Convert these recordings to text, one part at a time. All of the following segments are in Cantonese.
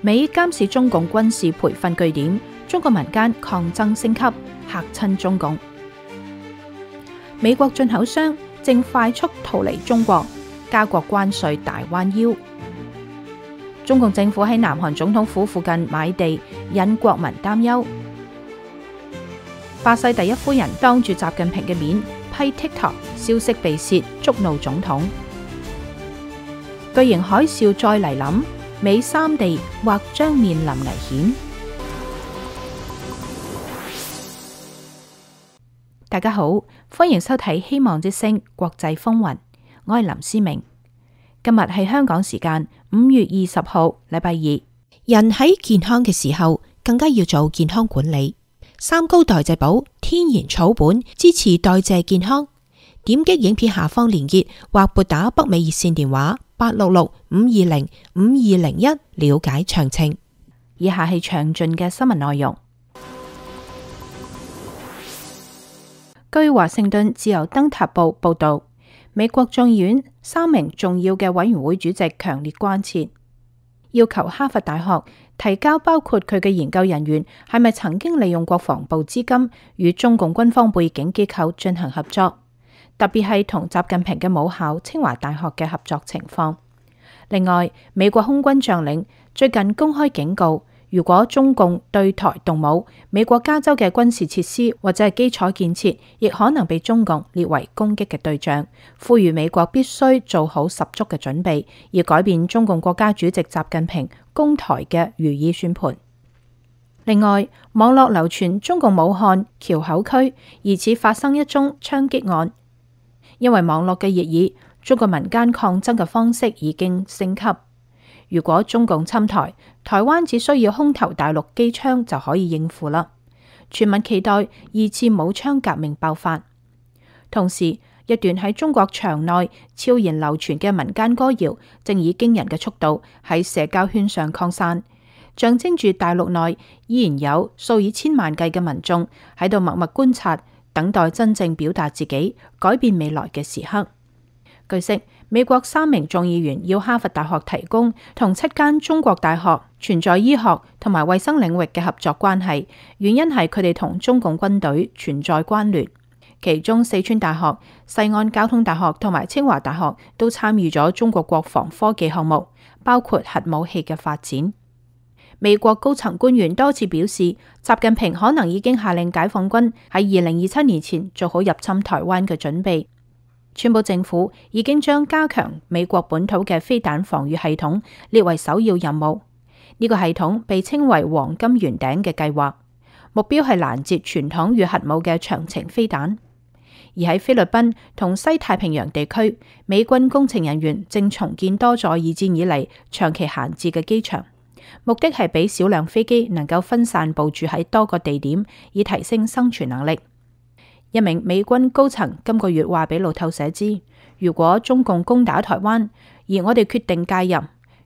美監視中共軍事培訓據點，中國民間抗爭升級，嚇親中共。美國進口商正快速逃離中國，加國關稅大彎腰。中共政府喺南韓總統府附近買地，引國民擔憂。巴西第一夫人當住習近平嘅面批 TikTok 消息被洩，觸怒總統。巨型海嘯再嚟臨，美三地或將面臨危險。大家好，歡迎收睇《希望之聲》國際風雲，我係林思明。今日係香港時間5月20號，禮拜二。人喺健康嘅時候，更加要做健康管理。三高代謝寶天然草本，支持代謝健康。點擊影片下方連結或撥打北美熱線電話866-520-5201了解詳情。以下係詳盡嘅新聞內容。據華盛頓自由燈塔報報道，美國眾議院3名重要嘅委員會主席強烈關切，要求哈佛大學提交包括佢嘅研究人員係咪曾經利用國防部資金與中共軍方背景機構進行合作，特別係同習近平嘅母校清華大學嘅合作情況。另外，美國空軍將領最近公開警告，如果中共對台動武，美國加州嘅軍事設施或者係基礎建設亦可能被中共列為攻擊嘅對象，呼籲美國必須做好十足嘅準備，以改變中共國家主席習近平攻台嘅如意算盤。另外，網絡流傳中共武漢橋口區疑似發生一宗槍擊案，因為網絡嘅熱議，中國民間抗爭嘅方式已經升級。如果中共侵台，台灣只需要空投大陸機槍就可以應付啦。全民期待二次武槍革命爆發。同時，一段喺中國牆內悄然流傳嘅民間歌謠，正以驚人嘅速度喺社交圈上擴散，象徵住大陸內依然有數以千萬計嘅民眾喺度默默觀察，等待真正表達自己、改變未來嘅時刻。據悉，美國3名眾議員要哈佛大學提供同7間中國大學存在醫學同埋衛生領域嘅合作關係，原因係佢哋同中共軍隊存在關聯。其中四川大學、西安交通大學同埋清華大學都參與咗中國國防科技項目，包括核武器嘅發展。美國高層官員多次表示，習近平可能已經下令解放軍喺2027年前做好入侵台灣嘅準備。川普政府已經將加強美國本土嘅飛彈防禦系統列為首要任務。呢個系統被稱為黃金圓頂嘅計劃，目標係攔截傳統與核武嘅長程飛彈。而喺菲律賓同西太平洋地區，美軍工程人員正重建多座二戰以嚟長期閒置嘅機場，目的係俾少量飛機能夠分散部署喺多個地點，以提升生存能力。一名美軍高層今個月話俾路透社知，如果中共攻打台灣，而我哋決定介入，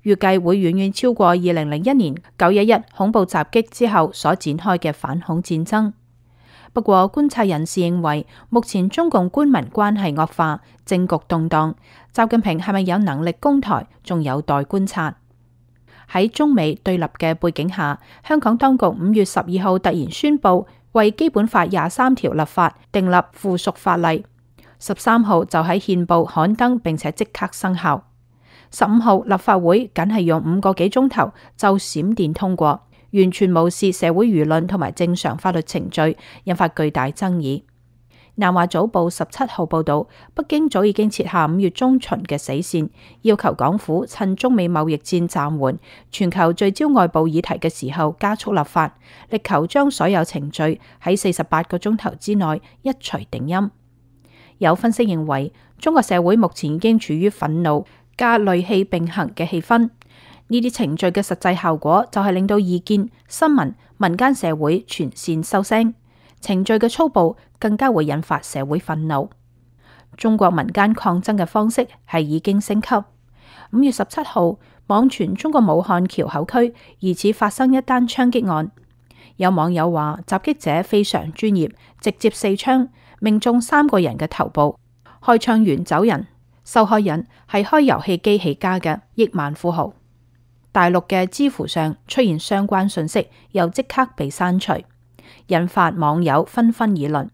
預計會遠遠超過2001年911恐怖襲擊之後所展開嘅反恐戰爭。不過，觀察人士認為，目前中共官民關係惡化，政局動盪，習近平係咪有能力攻台，仲有待觀察。喺中美對立嘅背景下，香港當局5月12號突然宣布，為基本法23條立法，訂立附屬法例。13號就喺憲報刊登，並且即刻生效。15號立法會僅係用5個幾鐘頭就閃電通過，完全無視社會輿論同埋正常法律程序，引發巨大爭議。南華早報17號報道，北京早已經設下5月中旬嘅死線，要求港府趁中美貿易戰暫緩、全球聚焦外部議題嘅時候加速立法，力求將所有程序喺48個鐘頭之內一錘定音。有分析認為，中國社會目前已經處於憤怒加戾氣並行嘅氣氛。呢啲程序嘅實際效果就係令到意見、新聞、民間社會全線收聲。程序嘅粗暴更加會引發社會憤怒。中國民間抗爭嘅方式係已經升級。5月17號，網傳中國武漢橋口區疑似發生一單槍擊案。有網友話，襲擊者非常專業，直接4槍命中3個人嘅頭部，開槍完走人。受害人係開遊戲機起家嘅億萬富豪。大陸嘅知乎上出現相關信息，又即刻被刪除，引發網友紛紛議論，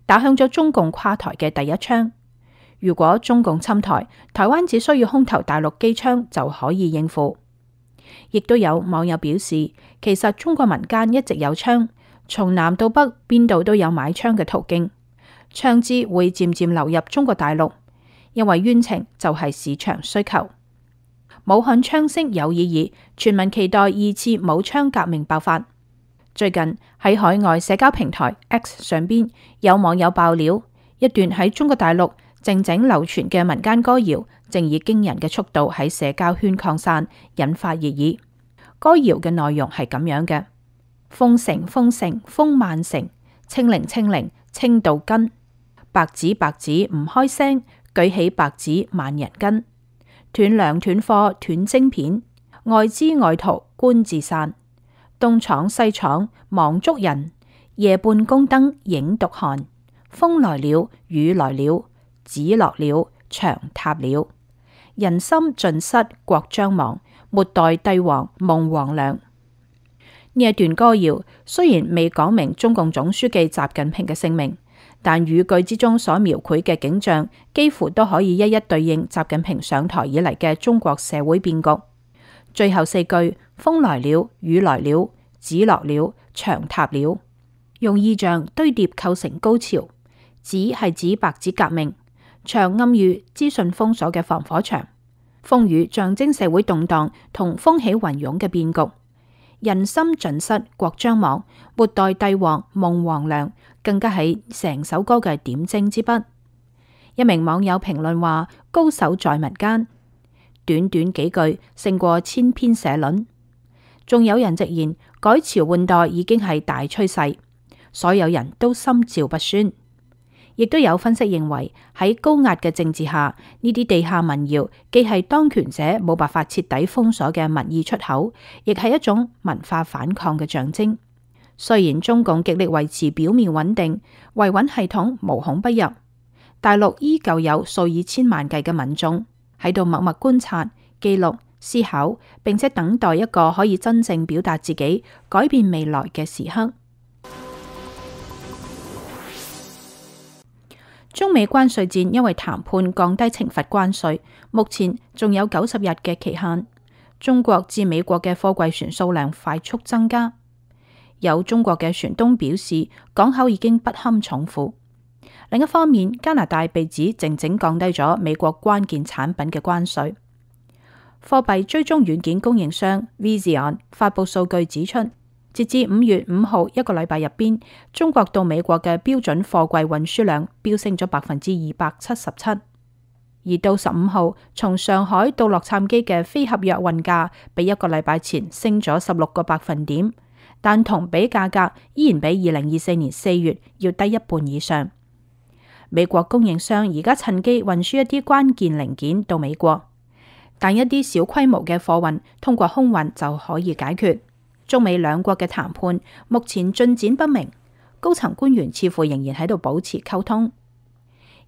打響咗中共垮台嘅第一槍。如果中共侵台，台灣只需要空投大陸機槍就可以應付。亦都有網友表示，其實中國民間一直有槍，從南到北邊度都有買槍嘅途徑，槍支會漸漸流入中國大陸，因為冤情就係市場需求。武漢槍聲有意義，全民期待二次武槍革命爆發。最近喺海外社交平台 X 上邊，有網友爆料，一段喺中國大陸靜靜流傳嘅民間歌謠，正以驚人嘅速度喺社交圈擴散，引發熱議。歌謠嘅內容係咁樣嘅：封城封城封萬城，清零清零清到根，白紙白紙唔開聲，舉起白紙萬人跟，斷糧斷貨斷晶片，外資外逃官自散，東廠西廠忙捉人，夜半宮燈影獨寒，風來了雨來了，紙落了牆塌了，人心盡失國將亡，末代帝王夢黃粱。呢一段歌謠雖然未講明中共總書記習近平嘅姓名，但語句之中所描繪嘅景象幾乎都可以一一對應習近平上台以嚟嘅中國社會變局。最後四句風來了雨來了，紙落了牆塌了，用意象堆疊構成高潮。紙係指白紙革命，牆暗喻資訊封鎖嘅防火牆，風雨象徵社會動盪同風起雲湧嘅變局。人心盡失國將亡，末代帝王夢黃粱，更加係成首歌嘅點睛之筆。一名網友評論話：高手在民間，短短幾句勝過千篇社論。仲有人直言改朝換代已經係大趨勢，所有人都心照不宣。亦都有分析認為，喺高壓嘅政治下，呢啲地下民謠既係當權者冇辦法徹底封鎖嘅民意出口，亦係一種文化反抗嘅象徵。雖然中共極力維持表面穩定，維穩系統無孔不入，大陸依舊有數以千萬計嘅民眾喺度默默觀察、記錄、思考，並且等待一個可以真正表達自己、改變未來嘅時刻。中美關稅戰因為談判降低懲罰關稅，目前仲有90日嘅期限。中國至美國嘅貨櫃船數量快速增加，有中國嘅船東表示，港口已經不堪重負。另一方面，加拿大被指靜靜降低咗美國關鍵產品嘅關稅。貨幣追蹤軟件供應商 Vision 發佈數據指出，截至5月5號一個禮拜入邊，中國到美國嘅標準貨櫃運輸量飆升咗277%，而到15號從上海到洛杉磯嘅非合約運價比一個禮拜前升咗16個百分點，但同比價格依然比2024年4月要低一半以上。美國供應商而家趁機運輸一啲關鍵零件到美國，但一啲小規模嘅貨運通過空運就可以解決。中美兩國嘅談判目前進展不明，高層官員似乎仍然喺度保持溝通。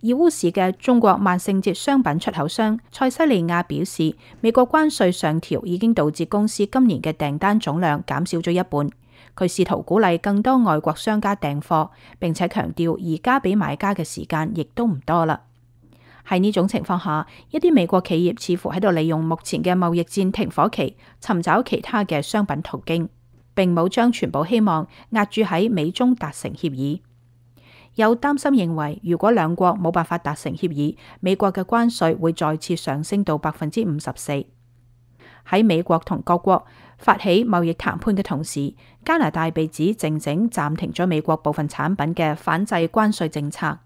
義烏市嘅中國萬聖節商品出口商塞西利亞表示，美國關稅上調已經導致公司今年嘅訂單總量減少咗一半。佢試圖鼓勵更多外國商家訂貨，並且強調而家俾買家嘅時間亦都唔多啦。喺呢種情況下，一啲美國企業似乎喺度利用目前嘅貿易戰停火期，尋找其他嘅商品途徑，並冇將全部希望押注喺美中達成協議。有擔心認為，如果兩國冇辦法達成協議，美國嘅關稅會再次上升到54%。喺美國同各國發起貿易談判嘅同時，加拿大被指靜靜暫停咗美國部分產品嘅反制關稅政策。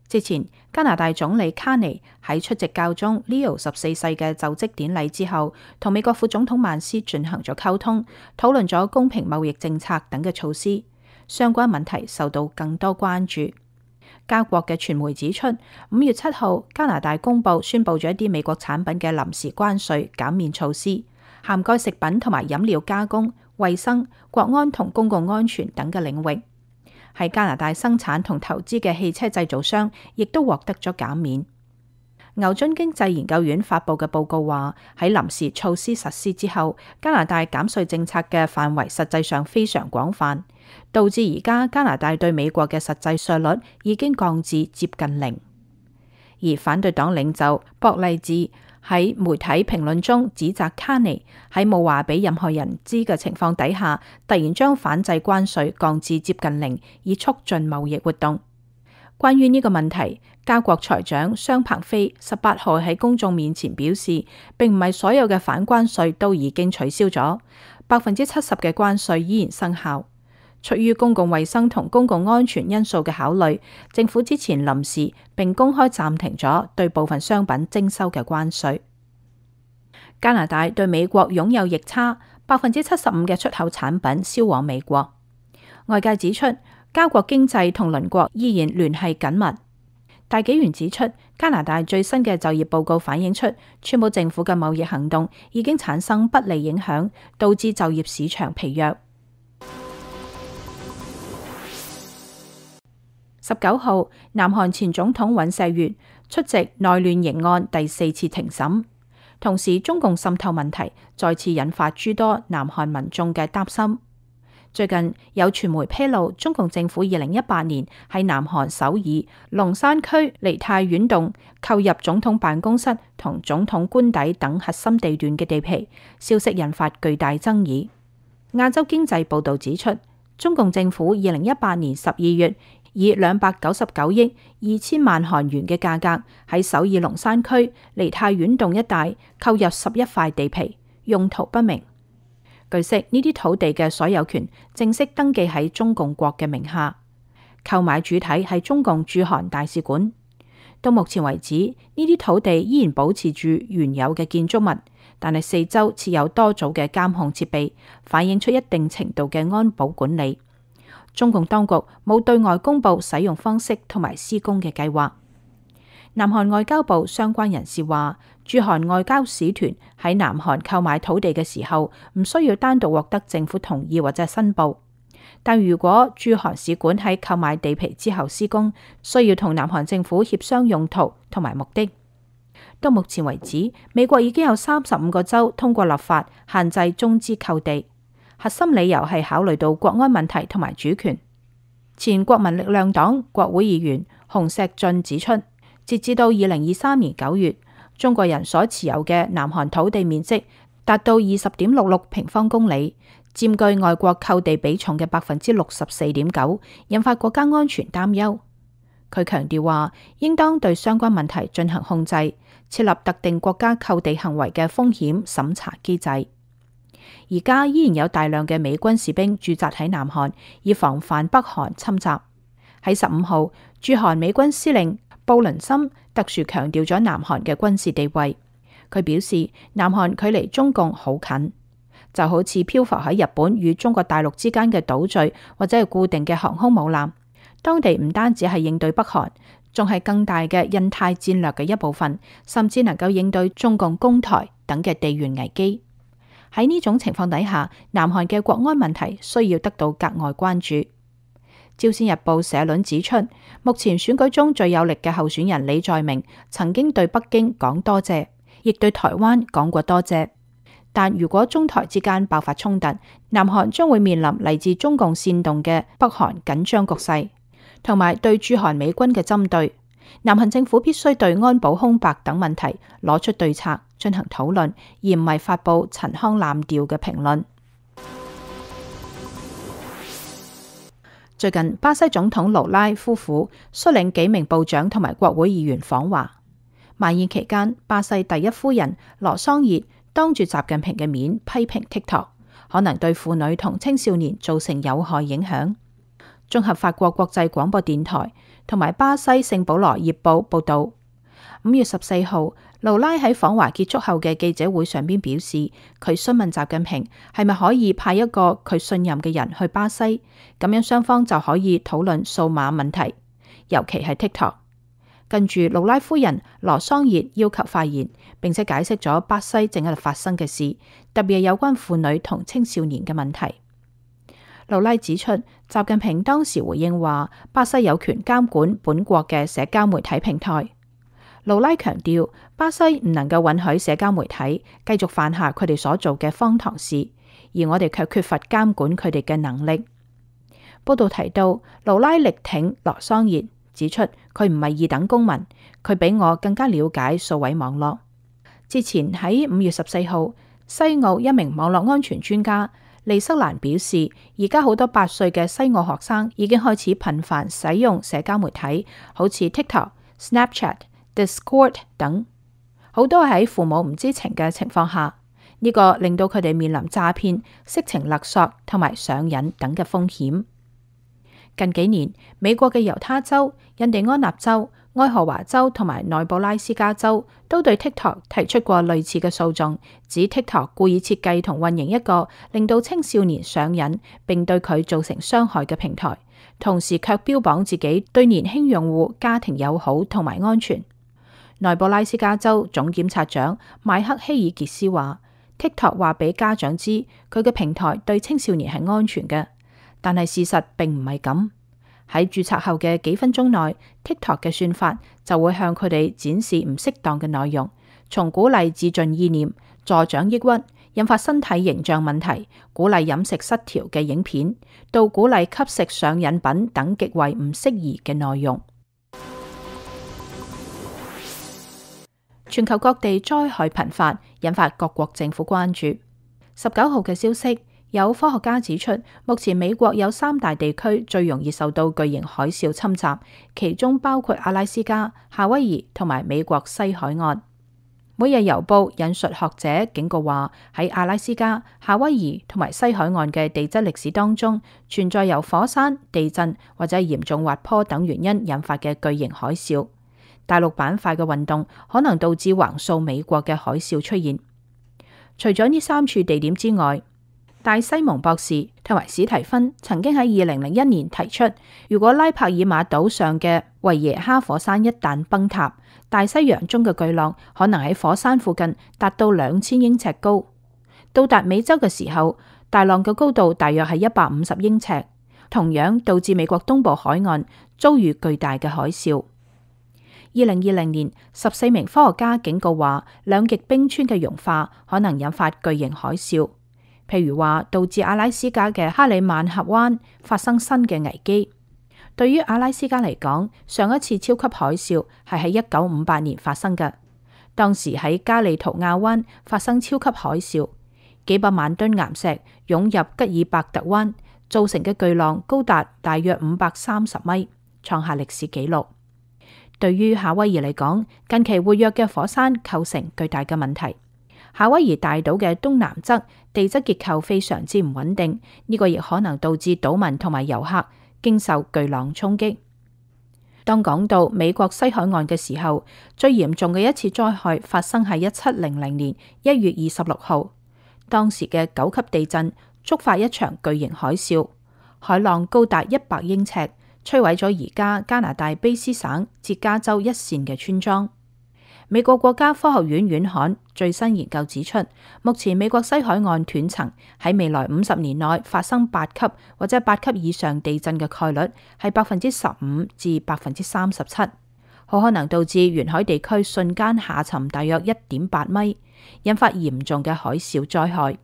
之前，加拿大總理卡尼喺出席教宗 Leo 14世嘅就職典禮之後，同美國副總統曼斯進行咗溝通，討論咗公平貿易政策等嘅措施。相關問題受到更多關注。加國嘅傳媒指出，5月7號加拿大公佈宣佈咗一啲美國產品嘅臨時關稅減免措施，涵蓋食品同埋飲料加工、衛生、國安同公共安全等嘅領域。喺加拿大生產同投資嘅汽車製造商亦都獲得咗減免。牛津經濟研究院發佈嘅報告話，喺臨時措施實施之後，加拿大減稅政策嘅範圍實際上非常廣泛，導致而家加拿大對美國嘅實際稅率已經降至接近零。而反對黨領袖博勵治喺媒體評論中指責卡尼喺冇話俾任何人知嘅情況底下，突然將反制關稅降至接近零，以促進貿易活動。關於呢個問題，加國財長商鵬飛18號喺公眾面前表示，並唔係所有嘅反關稅都已經取消咗，70%嘅關稅依然生效。出於公共衛生同公共安全因素嘅考慮，政府之前臨時並公開暫停咗對部分商品徵收嘅關稅。加拿大對美國擁有逆差，75%嘅出口產品銷往美國。外界指出，加國經濟同鄰國依然聯繫緊密。大紀元指出，加拿大最新嘅就業報告反映出，川普政府嘅貿易行動已經產生不利影響，導致就業市場疲弱。19號，南韓前總統尹錫悅出席內亂刑案第4次庭審，同時中共滲透問題再次引發諸多南韓民眾嘅擔心。最近有傳媒披露，中共政府2018年喺南韓首爾龍山區梨泰院洞購入總統辦公室同總統官邸等核心地段嘅地皮，消息引發巨大爭議。亞洲經濟報道指出，中共政府2018年12月以299億2千萬韓元嘅價格喺首爾龍山區梨泰院洞一帶購入11塊地皮，用途不明。據悉，呢啲土地嘅所有權正式登記喺中共國嘅名下，購買主體係中共駐韓大使館。到目前為止，呢啲土地依然保持住原有嘅建築物，但係四周設有多組嘅監控設備，反映出一定程度嘅安保管理。中共當局冇對外公布使用方式同埋施工嘅計劃。南韓外交部相關人士話，駐韓外交使團喺南韓購買土地嘅時候，唔需要單獨獲得政府同意或者申報。但如果駐韓使館喺購買地皮之後施工，需要同南韓政府協商用途同埋目的。到目前為止，美國已經有35個州通過立法限制中資購地，核心理由係考慮到國安問題同埋主權。前國民力量黨國會議員洪錫進指出，截至到2023年9月，中國人所持有嘅南韓土地面積達到20.66平方公里，佔據外國購地比重嘅64.9%，引發國家安全擔憂。佢強調話，應當對相關問題進行控制，設立特定國家購地行為嘅風險審查機制。而家依然有大量嘅美軍士兵駐紮喺南韓，以防範北韓侵襲。喺15號，駐韓美軍司令布倫森特殊強調咗南韓嘅軍事地位。佢表示，南韓距離中共好近，就好似漂浮喺日本與中國大陸之間嘅島嶼或者係固定嘅航空母艦。當地唔單止係應對北韓，仲係更大嘅印太戰略嘅一部分，甚至能夠應對中共攻台等嘅地緣危機。喺呢種情況底下，南韓嘅國安問題需要得到格外關注。朝鮮日報社論指出，目前選舉中最有力嘅候選人李在明曾經對北京講多謝，亦對台灣講過多謝。但如果中台之間爆發衝突，南韓將會面臨嚟自中共煽動嘅北韓緊張局勢，同埋對駐韓美軍嘅針對。南韓政府必須對安保空白等問題攞出對策進行討論，而唔係發布陳腔濫調嘅評論。最近，巴西總統盧拉夫婦率領幾名部長同埋國會議員訪華。晚宴期間，巴西第一夫人羅桑熱當住習近平嘅面批評 TikTok 可能對婦女同青少年造成有害影響。綜合法國國際廣播電台同埋巴西聖保羅葉報報道，5月14號，盧拉喺訪華結束後嘅記者會上邊表示，佢詢問習近平係咪可以派一個佢信任嘅人去巴西，咁樣雙方就可以討論數碼問題，尤其係 TikTok。跟住，盧拉夫人羅桑熱要求發言，並且解釋咗巴西正喺度發生嘅事，特別係有關婦女同青少年嘅問題。盧拉指出，習近平當時回應話，巴西有權監管本國嘅社交媒體平台。盧拉強調，巴西唔能夠允許社交媒體繼續犯下佢哋所做嘅荒唐事，而我哋卻缺乏監管佢哋嘅能力。報道提到，盧拉力挺羅桑熱，指出佢唔係二等公民，佢比我更加了解數位網絡。之前喺5月14號，西澳一名網絡安全專家利瑟蘭表示，而家好多8歲嘅西澳學生已經開始頻繁使用社交媒體，好似 TikTok、Snapchat、Discord 等，好多喺父母唔知情嘅情況下，呢個令到佢哋面臨詐騙、色情勒索同埋上癮等嘅風險。近幾年，美國嘅猶他州、印第安納州、愛荷華州同埋內布拉斯加州都對 TikTok 提出過類似嘅訴訟，指 TikTok 故意設計同運營一個令到青少年上癮並對佢造成傷害嘅平台，同時卻標榜自己對年輕用戶家庭友好同埋安全。內布拉斯加州總檢察長邁克希爾傑斯話，TikTok 話俾家長知佢嘅平台對青少年係安全嘅，但係事實並唔係咁。喺註冊後嘅幾分鐘內 ，TikTok 嘅算法就會向佢哋展示唔適當嘅內容，從鼓勵自盡意念、助長抑鬱、引發身體形象問題、鼓勵飲食失調嘅影片，到鼓勵吸食上癮品等極為唔適宜嘅內容。全球各地災害頻發，引發各國政府關注。19號嘅消息，有科學家指出，目前美國有3大地區最容易受到巨型海嘯侵襲，其中包括阿拉斯加、夏威夷同埋美國西海岸。每日郵報引述學者警告話，喺阿拉斯加、夏威夷同埋西海岸嘅地質歷史當中，存在由火山、地震或者嚴重滑坡等原因引發嘅巨型海嘯。大陸板塊嘅運動可能導致橫掃美國嘅海嘯出現。除咗呢3處地點之外，戴西蒙博士同埋史提芬曾經喺2001年提出，如果拉帕爾馬島上嘅維耶哈火山一旦崩塌，大西洋中嘅巨浪可能喺火山附近達到2000英尺高。到達美洲嘅時候，大浪嘅高度大約係150英尺，同樣導致美國東部海岸遭遇巨大嘅海嘯。2020年，14名科學家警告話，兩極冰川嘅融化可能引發巨型海嘯。譬如話，導致阿拉斯加嘅哈里曼峽灣發生新嘅危機。對於阿拉斯加嚟講，上一次超級海嘯係喺1958年發生嘅，當時喺加利圖亞灣發生超級海嘯，幾百萬噸岩石湧入吉爾伯特灣，造成嘅巨浪高達大約530米，創下歷史紀錄。對於夏威夷嚟講，近期活躍嘅火山構成巨大嘅問題。夏威夷大島嘅東南側地質結構非常之唔穩定，呢個亦可能導致島民同埋遊客經受巨浪衝擊。當講到美國西海岸嘅時候，最嚴重嘅一次災害發生喺1700年1月26號，當時嘅9級地震觸發一場巨型海嘯，海浪高達100英尺，摧毀咗而家加拿大卑斯省捷加州一線嘅村莊。美國國家科學院院刊最新研究指出，目前美國西海岸斷層喺未來50年內發生8級或者8級以上地震嘅概率係15%至37%，好可能導致沿海地區瞬間下沉大約1.8米，引發嚴重嘅海嘯災害。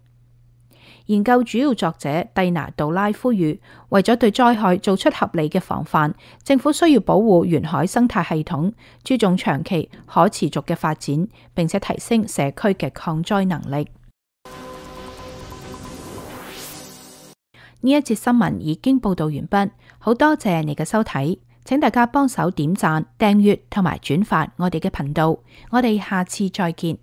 研究主要作者蒂娜杜拉呼籲，為咗對災害做出合理嘅防範，政府需要保護沿海生態系統，注重長期可持續嘅發展，並且提升社區嘅抗災能力。呢一節新聞已經報道完畢，好多謝你嘅收睇，請大家幫手點讚、訂閱同埋轉發我哋嘅頻道，我哋下次再見。